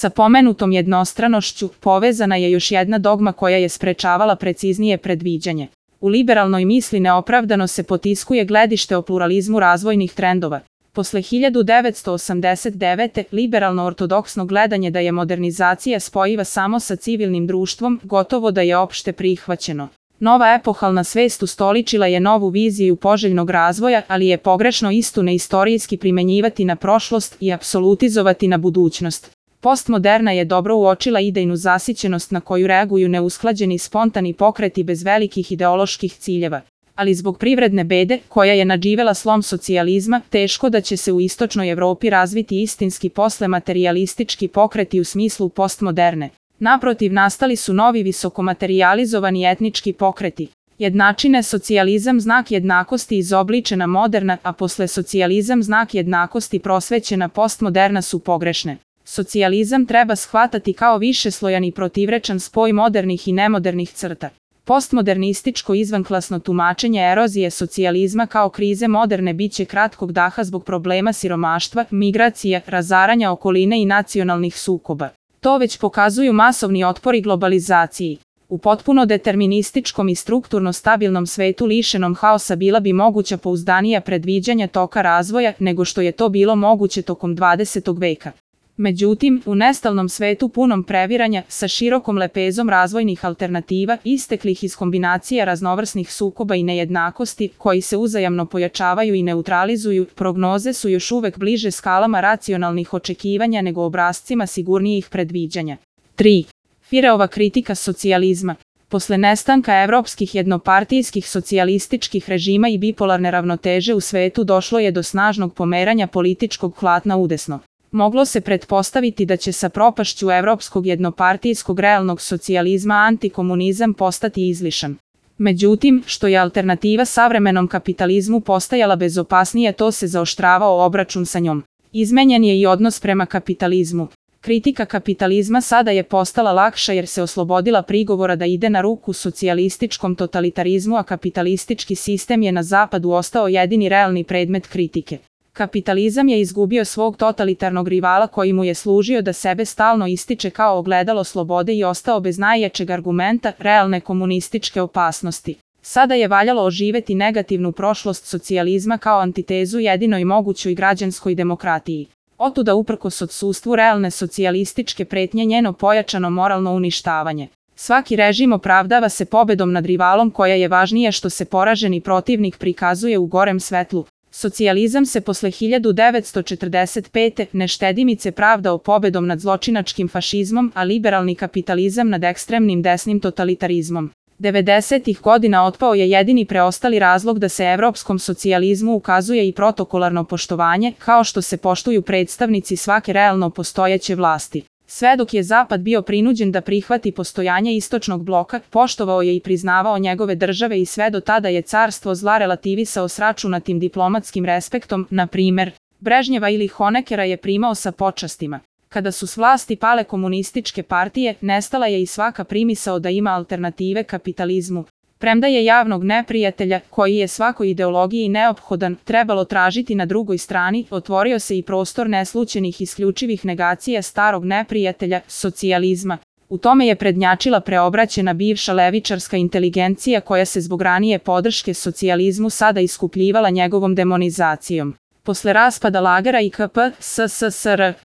Sa pomenutom jednostranošću povezana je još jedna dogma koja je sprečavala preciznije predviđanje. U liberalnoj misli neopravdano se potiskuje gledište o pluralizmu razvojnih trendova. Posle 1989. liberalno-ortodoksno gledanje da je modernizacija spojiva samo sa civilnim društvom, gotovo da je opšte prihvaćeno. Nova epohalna svest ustoličila je novu viziju poželjnog razvoja, ali je pogrešno istu neistorijski primenjivati na prošlost i apsolutizovati na budućnost. Postmoderna je dobro uočila idejnu zasićenost na koju reaguju neusklađeni spontani pokreti bez velikih ideoloških ciljeva. Ali zbog privredne bede, koja je nadživela slom socijalizma, teško da će se u istočnoj Evropi razviti istinski posle materijalistički pokreti u smislu postmoderne. Naprotiv, nastali su novi visokomaterijalizovani etnički pokreti. Jednačine socijalizam znak jednakosti izobličena moderna, a posle socijalizam znak jednakosti prosvećena postmoderna su pogrešne. Socijalizam treba shvatati kao višeslojan i protivrečan spoj modernih i nemodernih crta. Postmodernističko izvanklasno tumačenje erozije socijalizma kao krize moderne biće kratkog daha zbog problema siromaštva, migracija, razaranja okoline i nacionalnih sukoba. To već pokazuju masovni otpori globalizaciji. U potpuno determinističkom i strukturno stabilnom svetu lišenom haosa bila bi moguća pouzdanija predviđanja toka razvoja nego što je to bilo moguće tokom 20. veka. Međutim, u nestalnom svetu punom previranja, sa širokom lepezom razvojnih alternativa, isteklih iz kombinacija raznovrsnih sukoba i nejednakosti, koji se uzajamno pojačavaju i neutralizuju, prognoze su još uvek bliže skalama racionalnih očekivanja nego obrascima sigurnijih predviđanja. 3. Fireova kritika socijalizma. Posle nestanka evropskih jednopartijskih socijalističkih režima i bipolarne ravnoteže u svetu došlo je do snažnog pomeranja političkog hlatna udesno. Moglo se pretpostaviti da će sa propašću evropskog jednopartijskog realnog socijalizma antikomunizam postati izlišan. Međutim, što je alternativa savremenom kapitalizmu postajala bezopasnije, to se zaoštravao obračun sa njom. Izmenjen je i odnos prema kapitalizmu. Kritika kapitalizma sada je postala lakša jer se oslobodila prigovora da ide na ruku socijalističkom totalitarizmu, a kapitalistički sistem je na zapadu ostao jedini realni predmet kritike. Kapitalizam je izgubio svog totalitarnog rivala koji mu je služio da sebe stalno ističe kao ogledalo slobode i ostao bez najjačeg argumenta, realne komunističke opasnosti. Sada je valjalo oživeti negativnu prošlost socijalizma kao antitezu jedinoj mogućoj građanskoj demokratiji. Otuda uprkos odsustvu realne socijalističke pretnje njeno pojačano moralno uništavanje. Svaki režim opravdava se pobedom nad rivalom koja je važnije što se poraženi protivnik prikazuje u gorem svetlu. Socijalizam se posle 1945. neštedimice pravdao pobedom nad zločinačkim fašizmom, a liberalni kapitalizam nad ekstremnim desnim totalitarizmom. 90. godina otpao je jedini preostali razlog da se evropskom socijalizmu ukazuje i protokolarno poštovanje, kao što se poštuju predstavnici svake realno postojeće vlasti. Sve dok je Zapad bio prinuđen da prihvati postojanje istočnog bloka, poštovao je i priznavao njegove države i sve do tada je carstvo zla relativisao s računatim diplomatskim respektom, na primer, Brežnjeva ili Honeckera je primao sa počastima. Kada su s vlasti pale komunističke partije, nestala je i svaka primisao da ima alternative kapitalizmu. Premda je javnog neprijatelja, koji je svakoj ideologiji neophodan, trebalo tražiti na drugoj strani, otvorio se i prostor neslućenih isključivih negacija starog neprijatelja, socijalizma. U tome je prednjačila preobraćena bivša levičarska inteligencija koja se zbog ranije podrške socijalizmu sada iskupljivala njegovom demonizacijom. Posle raspada lagera i KP, SSSR,